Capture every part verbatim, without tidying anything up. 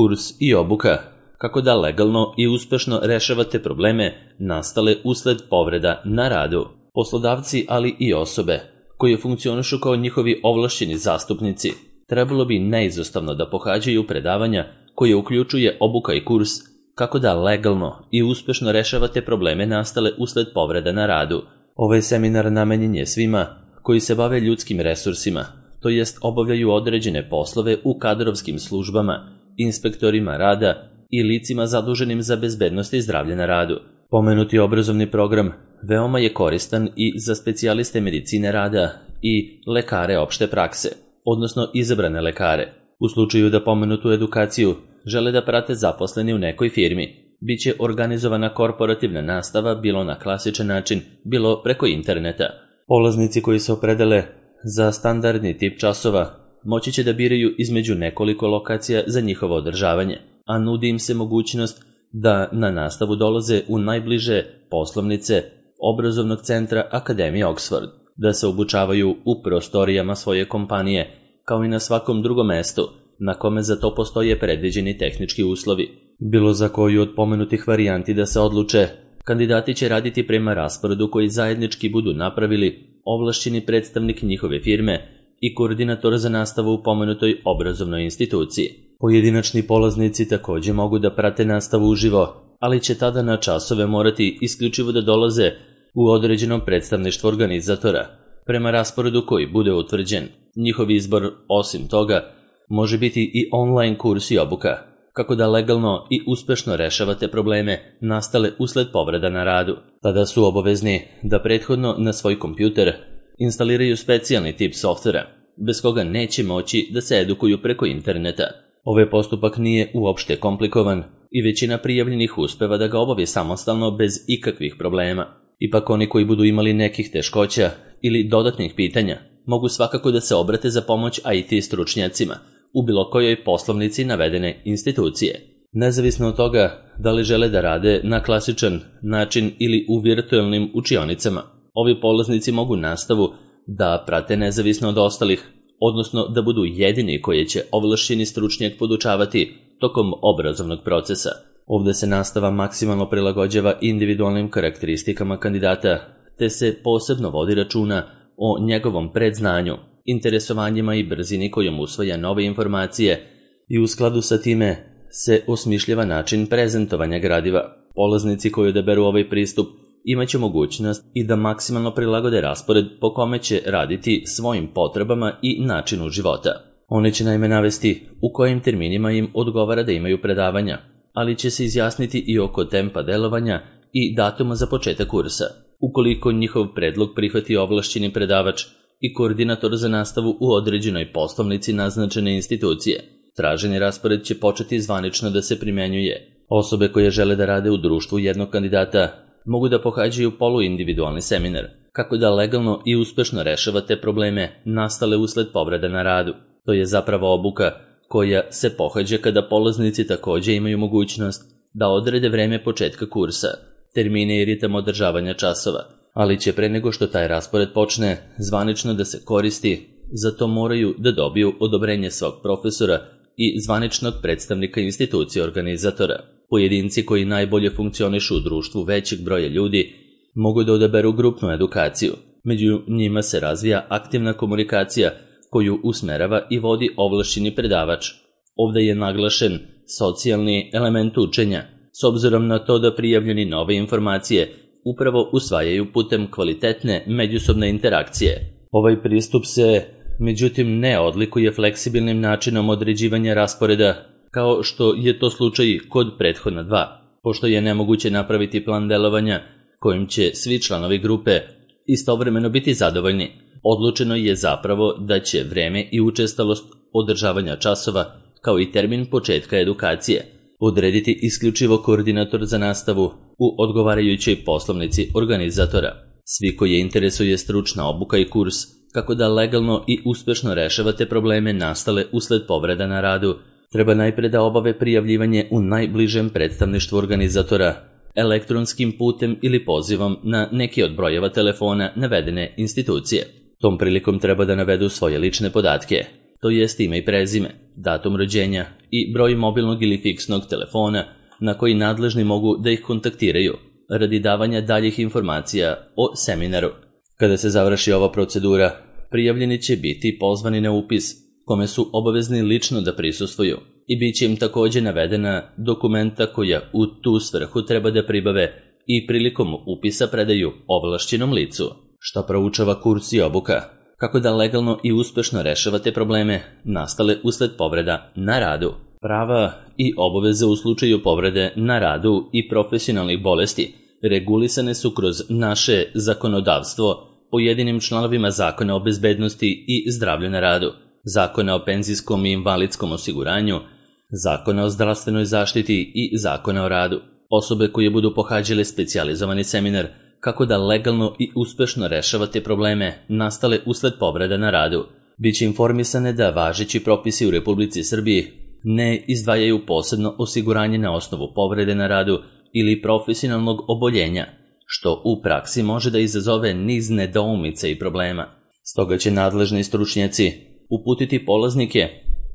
Kurs i obuka kako da legalno i uspešno rešavate probleme nastale usled povreda na radu. Poslodavci, ali i osobe koje funkcionišu kao njihovi ovlašćeni zastupnici, trebalo bi neizostavno da pohađaju predavanja koje uključuje obuka i kurs kako da legalno i uspešno rešavate probleme nastale usled povreda na radu. Ovaj seminar namenjen je svima koji se bave ljudskim resursima, to jest obavljaju određene poslove u kadrovskim službama, inspektorima rada i licima zaduženim za bezbednost i zdravlje na radu. Pomenuti obrazovni program veoma je koristan i za specijaliste medicine rada i lekare opšte prakse, odnosno izabrane lekare. U slučaju da pomenutu edukaciju žele da prate zaposleni u nekoj firmi, bit će organizovana korporativna nastava bilo na klasičan način, bilo preko interneta. Polaznici koji se opredele za standardni tip časova moći će da biraju između nekoliko lokacija za njihovo održavanje, a nudi im se mogućnost da na nastavu dolaze u najbliže poslovnice obrazovnog centra Akademije Oxford, da se obučavaju u prostorijama svoje kompanije, kao i na svakom drugom mestu na kome za to postoje predviđeni tehnički uslovi. Bilo za koju od pomenutih varijanti da se odluče, kandidati će raditi prema rasporedu koji zajednički budu napravili ovlašćeni predstavnik njihove firme i koordinator za nastavu u pomenutoj obrazovnoj instituciji. Pojedinačni polaznici takođe mogu da prate nastavu uživo, ali će tada na časove morati isključivo da dolaze u određenom predstavništvu organizatora, prema rasporedu koji bude utvrđen. Njihov izbor, osim toga, može biti i online kurs i obuka, kako da legalno i uspešno rešavate probleme nastale usled povreda na radu. Tada su obavezni da prethodno na svoj kompjuter instaliraju specijalni tip softvera, bez koga neće moći da se edukuju preko interneta. Ovaj postupak nije uopšte komplikovan i većina prijavljenih uspeva da ga obavi samostalno bez ikakvih problema. Ipak oni koji budu imali nekih teškoća ili dodatnih pitanja mogu svakako da se obrate za pomoć I T stručnjacima u bilo kojoj poslovnici navedene institucije. Nezavisno od toga da li žele da rade na klasičan način ili u virtualnim učionicama, ovi polaznici mogu nastavu da prate nezavisno od ostalih, odnosno da budu jedini koji će ovlašćeni stručnjak podučavati tokom obrazovnog procesa. Ovde se nastava maksimalno prilagođava individualnim karakteristikama kandidata, te se posebno vodi računa o njegovom predznanju, interesovanjima i brzini kojom usvaja nove informacije i u skladu sa time se osmišljava način prezentovanja gradiva. Polaznici koji odaberu ovaj pristup imaće mogućnost i da maksimalno prilagode raspored po kome će raditi svojim potrebama i načinu života. Oni će naime navesti u kojim terminima im odgovara da imaju predavanja, ali će se izjasniti i oko tempa delovanja i datuma za početak kursa. Ukoliko njihov predlog prihvati ovlašćeni predavač i koordinator za nastavu u određenoj poslovnici naznačene institucije, traženi raspored će početi zvanično da se primenjuje. Osobe koje žele da rade u društvu jednog kandidata mogu da pohađaju poluindividualni seminar, kako da legalno i uspešno rešavate probleme nastale usled povreda na radu. To je zapravo obuka koja se pohađa kada polaznici takođe imaju mogućnost da odrede vreme početka kursa, termine i ritam održavanja časova, ali će pre nego što taj raspored počne zvanično da se koristi, za to moraju da dobiju odobrenje svog profesora i zvaničnog predstavnika institucije organizatora. Pojedinci koji najbolje funkcionišu u društvu većeg broja ljudi mogu da odaberu grupnu edukaciju. Među njima se razvija aktivna komunikacija koju usmerava i vodi ovlašćeni predavač. Ovde je naglašen socijalni element učenja, s obzirom na to da prijavljeni nove informacije upravo usvajaju putem kvalitetne međusobne interakcije. Ovaj pristup se, međutim, ne odlikuje fleksibilnim načinom određivanja rasporeda, kao što je to slučaj kod prethodna dva, pošto je nemoguće napraviti plan delovanja kojim će svi članovi grupe istovremeno biti zadovoljni. Odlučeno je zapravo da će vreme i učestalost održavanja časova, kao i termin početka edukacije, odrediti isključivo koordinator za nastavu u odgovarajućoj poslovnici organizatora. Svi koje interesuje stručna obuka i kurs, kako da legalno i uspešno rešavate probleme nastale usled povreda na radu, treba najpre da obave prijavljivanje u najbližem predstavništvu organizatora, elektronskim putem ili pozivom na neki od brojeva telefona navedene institucije. Tom prilikom treba da navedu svoje lične podatke, to jest ime i prezime, datum rođenja i broj mobilnog ili fiksnog telefona na koji nadležni mogu da ih kontaktiraju radi davanja daljih informacija o seminaru. Kada se završi ova procedura, prijavljeni će biti pozvani na upis, kome su obavezni lično da prisustvuju i bit će im takođe navedena dokumenta koja u tu svrhu treba da pribave i prilikom upisa predaju ovlašćenom licu. Šta proučava kurs i obuka? Kako da legalno i uspešno rešavate probleme nastale usled povreda na radu. Prava i obaveze u slučaju povrede na radu i profesionalnih bolesti regulisane su kroz naše zakonodavstvo pojedinim članovima Zakona o bezbednosti i zdravlju na radu, Zakona o penzijskom i invalidskom osiguranju, Zakona o zdravstvenoj zaštiti i Zakona o radu. Osobe koje budu pohađale specijalizovani seminar kako da legalno i uspešno rešavate probleme nastale usled povreda na radu, biće informisane da važeći propisi u Republici Srbiji ne izdvajaju posebno osiguranje na osnovu povrede na radu ili profesionalnog oboljenja, što u praksi može da izazove niz nedoumica i problema. Stoga će nadležni stručnjaci uputiti polaznike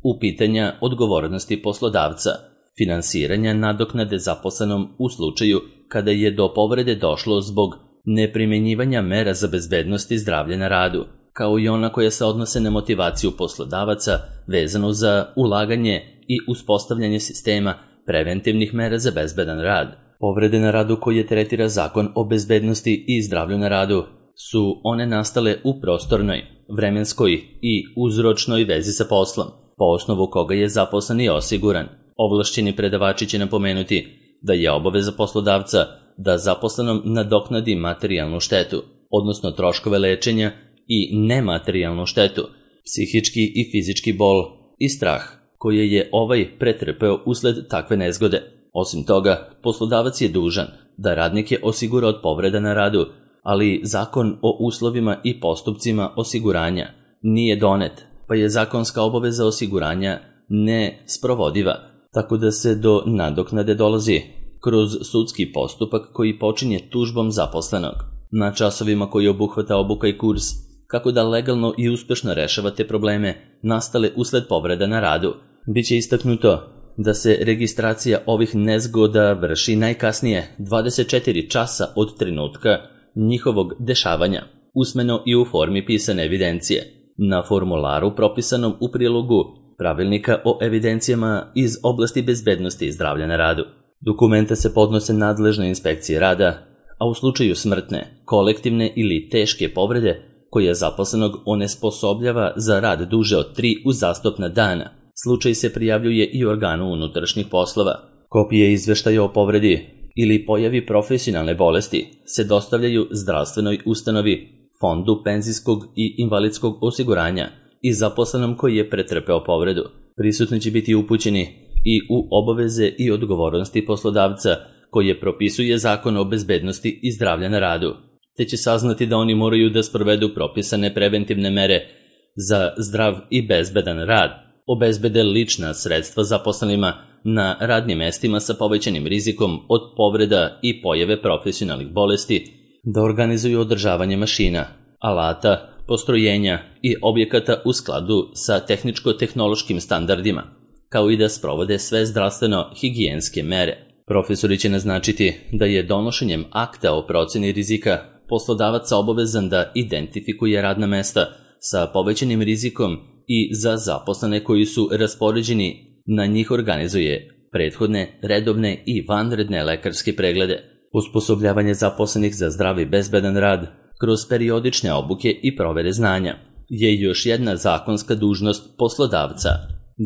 u pitanja odgovornosti poslodavca, finansiranja nadoknade zaposlenom u slučaju kada je do povrede došlo zbog neprimenjivanja mera za bezbednost i zdravlje na radu, kao i ona koja se odnose na motivaciju poslodavaca vezano za ulaganje i uspostavljanje sistema preventivnih mera za bezbedan rad. Povrede na radu koje tretira Zakon o bezbednosti i zdravlju na radu su one nastale u prostornoj, vremenskoj i uzročnoj vezi sa poslom, po osnovu koga je zaposleni osiguran. Ovlašćeni predavači će napomenuti da je obaveza poslodavca da zaposlenom nadoknadi materijalnu štetu, odnosno troškove lečenja i nematerijalnu štetu, psihički i fizički bol i strah koje je ovaj pretrpeo usled takve nezgode. Osim toga, poslodavac je dužan da radnike osigura od povreda na radu, ali Zakon o uslovima i postupcima osiguranja nije donet, pa je zakonska obaveza osiguranja nesprovodiva, tako da se do nadoknade dolazi kroz sudski postupak koji počinje tužbom zaposlenog. Na časovima koji obuhvata obuka i kurs kako da legalno i uspešno rešavate probleme nastale usled povreda na radu, biće istaknuto da se registracija ovih nezgoda vrši najkasnije dvadeset četiri časa od trenutka njihovog dešavanja, usmeno i u formi pisane evidencije, na formularu propisanom u prilogu Pravilnika o evidencijama iz oblasti bezbednosti i zdravlja na radu. Dokumenta se podnose nadležne inspekcije rada, a u slučaju smrtne, kolektivne ili teške povrede koja zaposlenog onesposobljava za rad duže od tri uzastopna dana, slučaj se prijavljuje i organu unutrašnjih poslova. Kopije izveštaja o povredi ili pojavi profesionalne bolesti se dostavljaju zdravstvenoj ustanovi, fondu penzijskog i invalidskog osiguranja i zaposlenom koji je pretrpeo povredu. Prisutni će biti upućeni i u obaveze i odgovornosti poslodavca koje propisuje Zakon o bezbednosti i zdravlja na radu, te će saznati da oni moraju da sprovedu propisane preventivne mere za zdrav i bezbedan rad, obezbede lična sredstva zaposlenima na radnim mestima sa povećanim rizikom od povreda i pojave profesionalnih bolesti, da organizuju održavanje mašina, alata, postrojenja i objekata u skladu sa tehničko-tehnološkim standardima, kao i da sprovode sve zdravstveno-higijenske mere. Profesori će naznačiti da je donošenjem akta o proceni rizika poslodavac obavezan da identifikuje radna mesta sa povećanim rizikom i za zaposlene koji su raspoređeni na njih organizuje prethodne, redovne i vanredne lekarske preglede, osposobljavanje zaposlenih za zdrav i bezbedan rad kroz periodične obuke i provere znanja je još jedna zakonska dužnost poslodavca.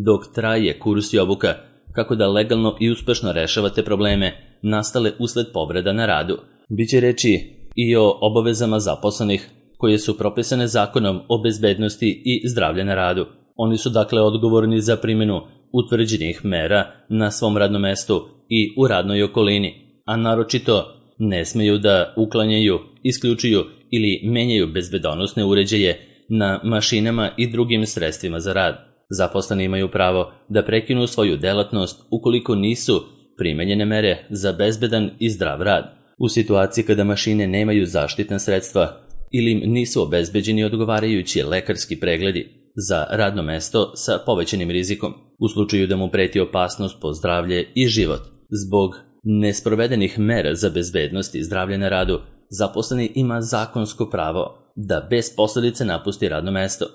Dok traje kurs i obuka kako da legalno i uspešno rešavate probleme nastale usled povreda na radu, biće reči i o obavezama zaposlenih koje su propisane Zakonom o bezbednosti i zdravlja na radu. Oni su dakle odgovorni za primjenu utvrđenih mera na svom radnom mestu i u radnoj okolini, a naročito ne smeju da uklanjaju, isključuju ili menjaju bezbedonosne uređaje na mašinama i drugim sredstvima za rad. Zaposleni imaju pravo da prekinu svoju delatnost ukoliko nisu primenjene mere za bezbedan i zdrav rad. U situaciji kada mašine nemaju zaštitna sredstva ili im nisu obezbeđeni odgovarajući lekarski pregledi, za radno mesto sa povećanim rizikom, u slučaju da mu preti opasnost po zdravlje i život. Zbog nesprovedenih mera za bezbednost i zdravlje na radu, zaposleni ima zakonsko pravo da bez posledice napusti radno mesto.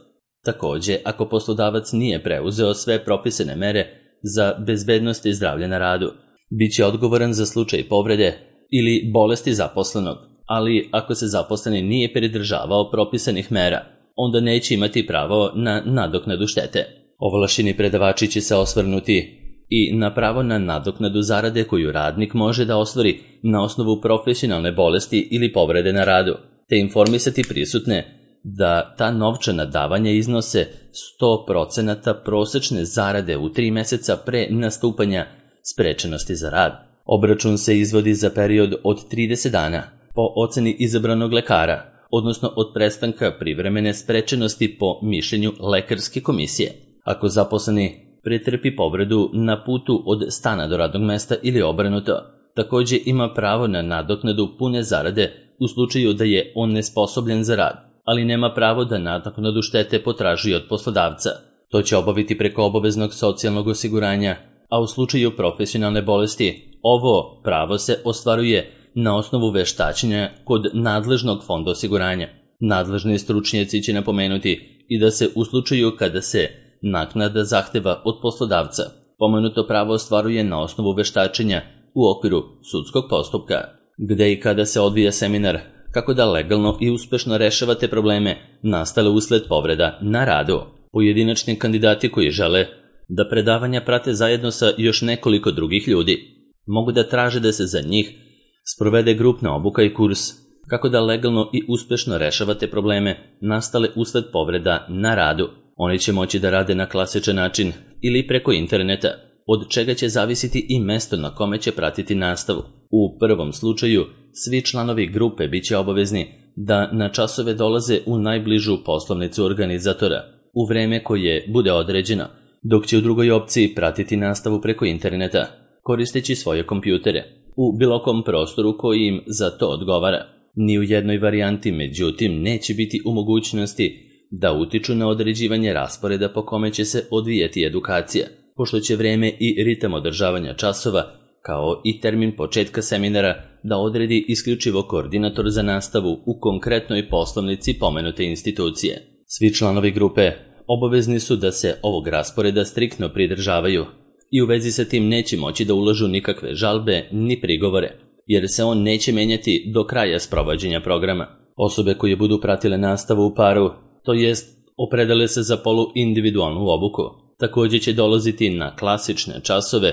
Takođe, ako poslodavac nije preuzeo sve propisane mere za bezbednost i zdravlje na radu, bit će odgovoran za slučaj povrede ili bolesti zaposlenog, ali ako se zaposleni nije pridržavao propisanih mera, onda neće imati pravo na nadoknadu štete. Ovlašćeni predavači će se osvrnuti i na pravo na nadoknadu zarade koju radnik može da ostvari na osnovu profesionalne bolesti ili povrede na radu, te informisati prisutne da ta novčana davanja iznose sto procenata prosečne zarade u tri meseca pre nastupanja sprečenosti za rad. Obračun se izvodi za period od trideset dana po oceni izabranog lekara, odnosno od prestanka privremene sprečenosti po mišljenju lekarske komisije. Ako zaposleni pretrpi povredu na putu od stana do radnog mesta ili obrnuto, takođe ima pravo na nadoknadu pune zarade u slučaju da je on nesposobljen za rad, ali nema pravo da nadoknadu štete potražuje od poslodavca. To će obaviti preko obaveznog socijalnog osiguranja, a u slučaju profesionalne bolesti ovo pravo se ostvaruje na osnovu veštačenja kod nadležnog fonda osiguranja. Nadležni stručnjaci će napomenuti i da se u slučaju kada se naknada zahteva od poslodavca, pomenuto pravo ostvaruje na osnovu veštačenja u okviru sudskog postupka, gde i kada se odvija seminar kako da legalno i uspešno rešavate probleme nastale usled povreda na radu. Pojedinačni kandidati koji žele da predavanja prate zajedno sa još nekoliko drugih ljudi mogu da traže da se za njih sprovede grupna obuka i kurs kako da legalno i uspešno rešavate probleme nastale usled povreda na radu. Oni će moći da rade na klasičan način ili preko interneta, od čega će zavisiti i mesto na kome će pratiti nastavu. U prvom slučaju, svi članovi grupe bit će obavezni da na časove dolaze u najbližu poslovnicu organizatora u vreme koje bude određeno, dok će u drugoj opciji pratiti nastavu preko interneta, koristeći svoje kompjutere, u bilo kom prostoru koji im za to odgovara. Ni u jednoj varijanti, međutim, neće biti u mogućnosti da utiču na određivanje rasporeda po kome će se odvijati edukacija, pošto će vreme i ritam održavanja časova, kao i termin početka seminara, da odredi isključivo koordinator za nastavu u konkretnoj poslovnici pomenute institucije. Svi članovi grupe obavezni su da se ovog rasporeda striktno pridržavaju i u vezi sa tim neće moći da ulažu nikakve žalbe ni prigovore, jer se on neće menjati do kraja sprovođenja programa. Osobe koje budu pratile nastavu u paru, to jest opredele se za poluindividualnu obuku, takođe će dolaziti na klasične časove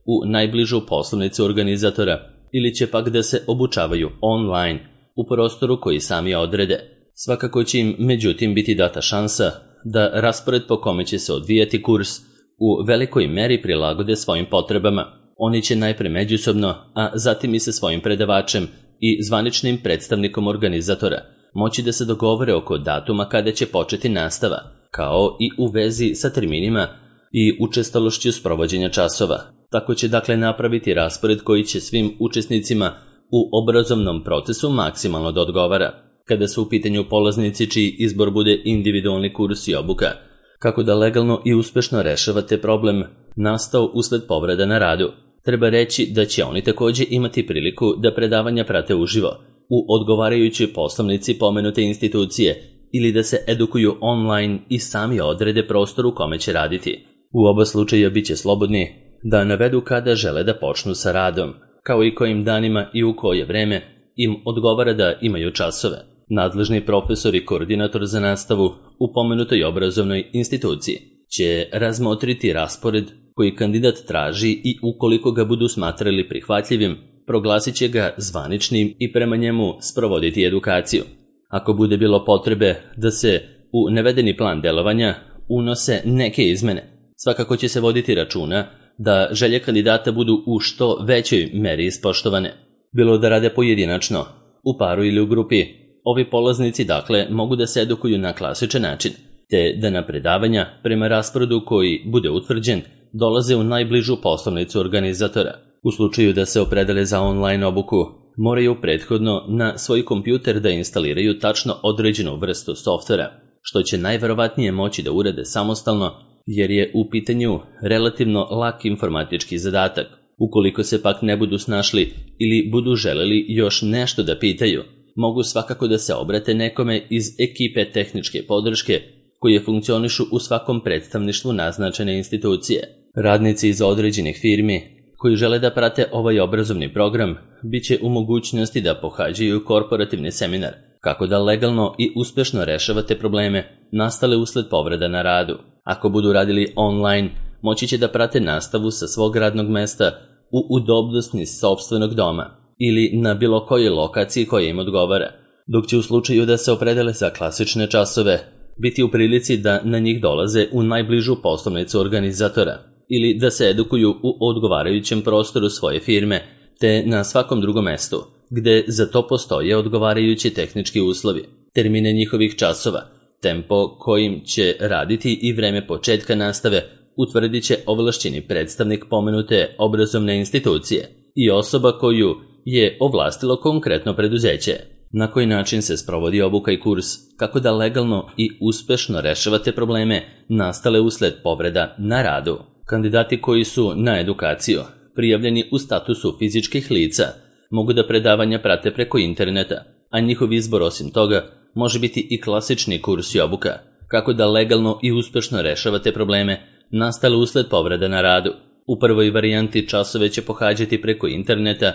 u najbližu poslovnicu organizatora ili će pak da se obučavaju online u prostoru koji sami odrede. Svakako će im međutim biti data šansa da raspored po kome će se odvijati kurs u velikoj meri prilagode svojim potrebama. Oni će najpre međusobno, a zatim i sa svojim predavačem i zvaničnim predstavnikom organizatora moći da se dogovore oko datuma kada će početi nastava, kao i u vezi sa terminima i učestalošću sprovođenja časova. Tako će dakle napraviti raspored koji će svim učesnicima u obrazovnom procesu maksimalno da odgovara. Kada su u pitanju polaznici čiji izbor bude individualni kurs i obuka, kako da legalno i uspešno rešavate problem nastao usled povreda na radu, treba reći da će oni takođe imati priliku da predavanja prate uživo u odgovarajućoj poslovnici pomenute institucije ili da se edukuju online i sami odrede prostor u kome će raditi. U oba slučaja bit će slobodni da navedu kada žele da počnu sa radom, kao i kojim danima i u koje vreme im odgovara da imaju časove. Nadležni profesor i koordinator za nastavu u pomenutoj obrazovnoj instituciji će razmotriti raspored koji kandidat traži i ukoliko ga budu smatrali prihvatljivim, proglasit će ga zvaničnim i prema njemu sprovoditi edukaciju. Ako bude bilo potrebe da se u navedeni plan delovanja unose neke izmene, svakako će se voditi računa da želje kandidata budu u što većoj meri ispoštovane. Bilo da rade pojedinačno, u paru ili u grupi, ovi polaznici dakle mogu da se edukuju na klasičan način, te da na predavanja prema rasporedu koji bude utvrđen dolaze u najbližu poslovnicu organizatora. U slučaju da se opredele za online obuku, moraju prethodno na svoj kompjuter da instaliraju tačno određenu vrstu softvera, što će najverovatnije moći da urade samostalno, jer je u pitanju relativno lak informatički zadatak. Ukoliko se pak ne budu snašli ili budu želeli još nešto da pitaju, mogu svakako da se obrate nekome iz ekipe tehničke podrške koje funkcionišu u svakom predstavništvu naznačene institucije. Radnici iz određenih firmi koji žele da prate ovaj obrazovni program bit će u mogućnosti da pohađaju korporativni seminar kako da legalno i uspešno rešavate probleme nastale usled povreda na radu. Ako budu radili online, moći će da prate nastavu sa svog radnog mesta u udobnosti sopstvenog doma ili na bilo kojoj lokaciji koja im odgovara, dok će u slučaju da se opredele za klasične časove biti u prilici da na njih dolaze u najbližu poslovnicu organizatora ili da se edukuju u odgovarajućem prostoru svoje firme te na svakom drugom mestu, gde za to postoje odgovarajući tehnički uslovi, termine njihovih časova, tempo kojim će raditi i vreme početka nastave utvrdit će ovlašćeni predstavnik pomenute obrazovne institucije i osoba koju je ovlastilo konkretno preduzeće. Na koji način se sprovodi obuka i kurs, kako da legalno i uspešno rešavate probleme nastale usled povreda na radu. Kandidati koji su na edukaciju prijavljeni u statusu fizičkih lica mogu da predavanja prate preko interneta, a njihov izbor osim toga može biti i klasični kurs i obuka, kako da legalno i uspešno rešavate probleme nastale usled povreda na radu. U prvoj varijanti časove će pohađati preko interneta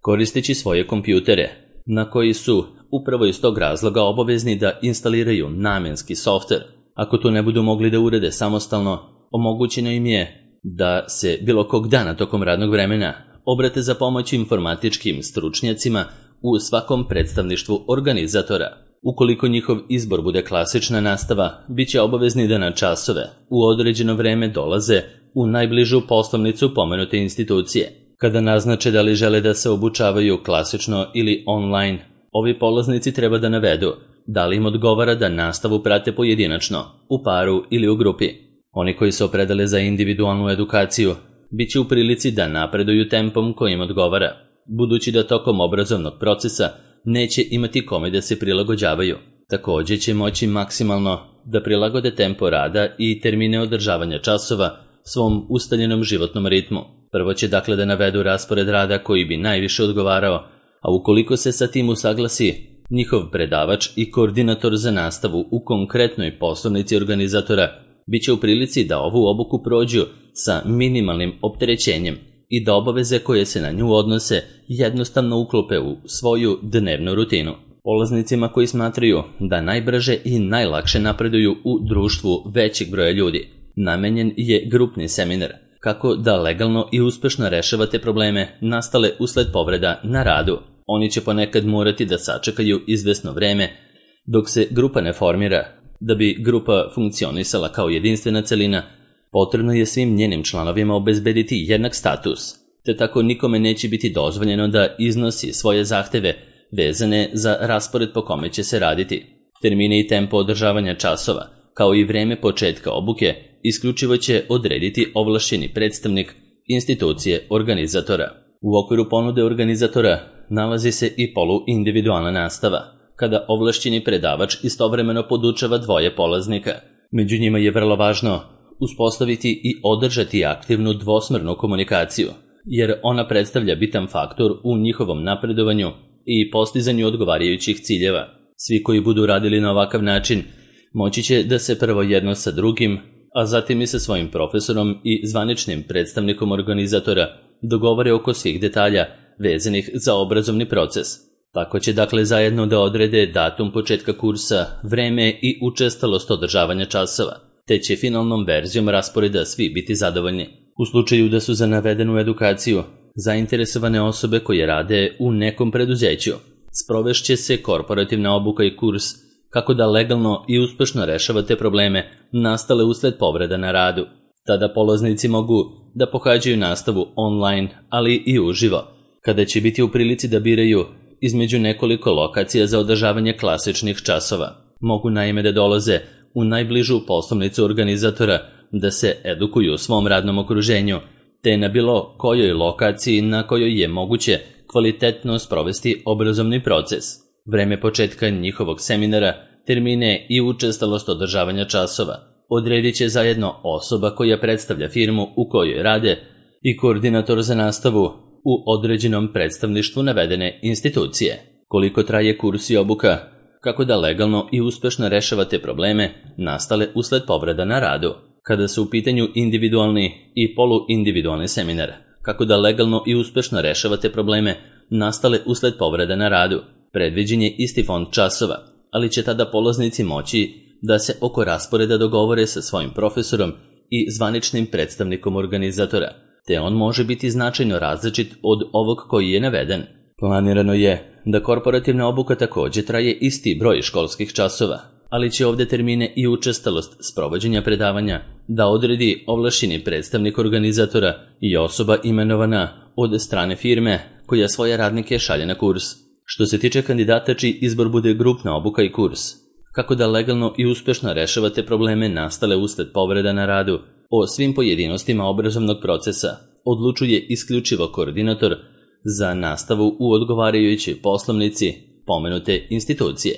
koristeći svoje kompjutere, na koji su upravo iz tog razloga obavezni da instaliraju namenski softver. Ako to ne budu mogli da urede samostalno, omogućeno im je da se bilo kog dana tokom radnog vremena obrate za pomoć informatičkim stručnjacima u svakom predstavništvu organizatora. Ukoliko njihov izbor bude klasična nastava, bit će obavezni da na časove u određeno vreme dolaze u najbližu poslovnicu pomenute institucije. Kada naznače da li žele da se obučavaju klasično ili online, ovi polaznici treba da navedu da li im odgovara da nastavu prate pojedinačno, u paru ili u grupi. Oni koji se opredele za individualnu edukaciju bit će u prilici da napreduju tempom kojim odgovara, budući da tokom obrazovnog procesa neće imati kome da se prilagođavaju. Također će moći maksimalno da prilagode tempo rada i termine održavanja časova svom ustaljenom životnom ritmu. Prvo će dakle da navedu raspored rada koji bi najviše odgovarao, a ukoliko se sa tim usaglasi njihov predavač i koordinator za nastavu u konkretnoj poslovnici organizatora, bit će u prilici da ovu obuku prođu sa minimalnim opterećenjem i da obaveze koje se na nju odnose jednostavno uklope u svoju dnevnu rutinu. Polaznicima koji smatraju da najbrže i najlakše napreduju u društvu većeg broja ljudi, namenjen je grupni seminar, kako da legalno i uspešno rešavate probleme nastale usled povreda na radu. Oni će ponekad morati da sačekaju izvesno vreme dok se grupa ne formira. Da bi grupa funkcionisala kao jedinstvena celina, potrebno je svim njenim članovima obezbediti jednak status, te tako nikome neće biti dozvoljeno da iznosi svoje zahteve vezane za raspored po kome će se raditi. Termine i tempo održavanja časova, kao i vreme početka obuke, isključivo će odrediti ovlašćeni predstavnik institucije organizatora. U okviru ponude organizatora nalazi se i poluindividualna nastava, kada ovlašćeni predavač istovremeno podučava dvoje polaznika. Među njima je vrlo važno uspostaviti i održati aktivnu dvosmernu komunikaciju, jer ona predstavlja bitan faktor u njihovom napredovanju i postizanju odgovarajućih ciljeva. Svi koji budu radili na ovakav način moći će da se prvo jedno sa drugim, a zatim i sa svojim profesorom i zvaničnim predstavnikom organizatora dogovore oko svih detalja vezanih za obrazovni proces. Tako će dakle zajedno da odrede datum početka kursa, vreme i učestalost održavanja časova, te će finalnom verzijom rasporeda svi biti zadovoljni. U slučaju da su za navedenu edukaciju zainteresovane osobe koje rade u nekom preduzeću, sprovešće se korporativna obuka i kurs kako da legalno i uspešno rešavate probleme nastale usled povreda na radu. Tada polaznici mogu da pohađaju nastavu online, ali i uživo, kada će biti u prilici da biraju između nekoliko lokacija za održavanje klasičnih časova. Mogu naime da dolaze u najbližu poslovnicu organizatora da se edukuju u svom radnom okruženju, te na bilo kojoj lokaciji na kojoj je moguće kvalitetno sprovesti obrazovni proces. Vreme početka njihovog seminara termine i učestalost održavanja časova odredit će zajedno osoba koja predstavlja firmu u kojoj rade i koordinator za nastavu u određenom predstavništvu navedene institucije. Koliko traje kurs i obuka? Kako da legalno i uspešno rešavate probleme nastale usled povreda na radu? Kada su u pitanju individualni i poluindividualni seminar, kako da legalno i uspešno rešavate probleme nastale usled povreda na radu, predviđen je isti fond časova, ali će tada polaznici moći da se oko rasporeda dogovore sa svojim profesorom i zvaničnim predstavnikom organizatora, te on može biti značajno različit od ovog koji je naveden. Planirano je da korporativna obuka takođe traje isti broj školskih časova, ali će ovde termine i učestalost sprovođenja predavanja da odredi ovlašćeni predstavnik organizatora i osoba imenovana od strane firme koja svoje radnike šalje na kurs. Što se tiče kandidata čiji izbor bude grupna obuka i kurs, kako da legalno i uspešno rešavate probleme nastale usled povreda na radu, o svim pojedinostima obrazovnog procesa odlučuje isključivo koordinator za nastavu u odgovarajućoj poslovnici pomenute institucije.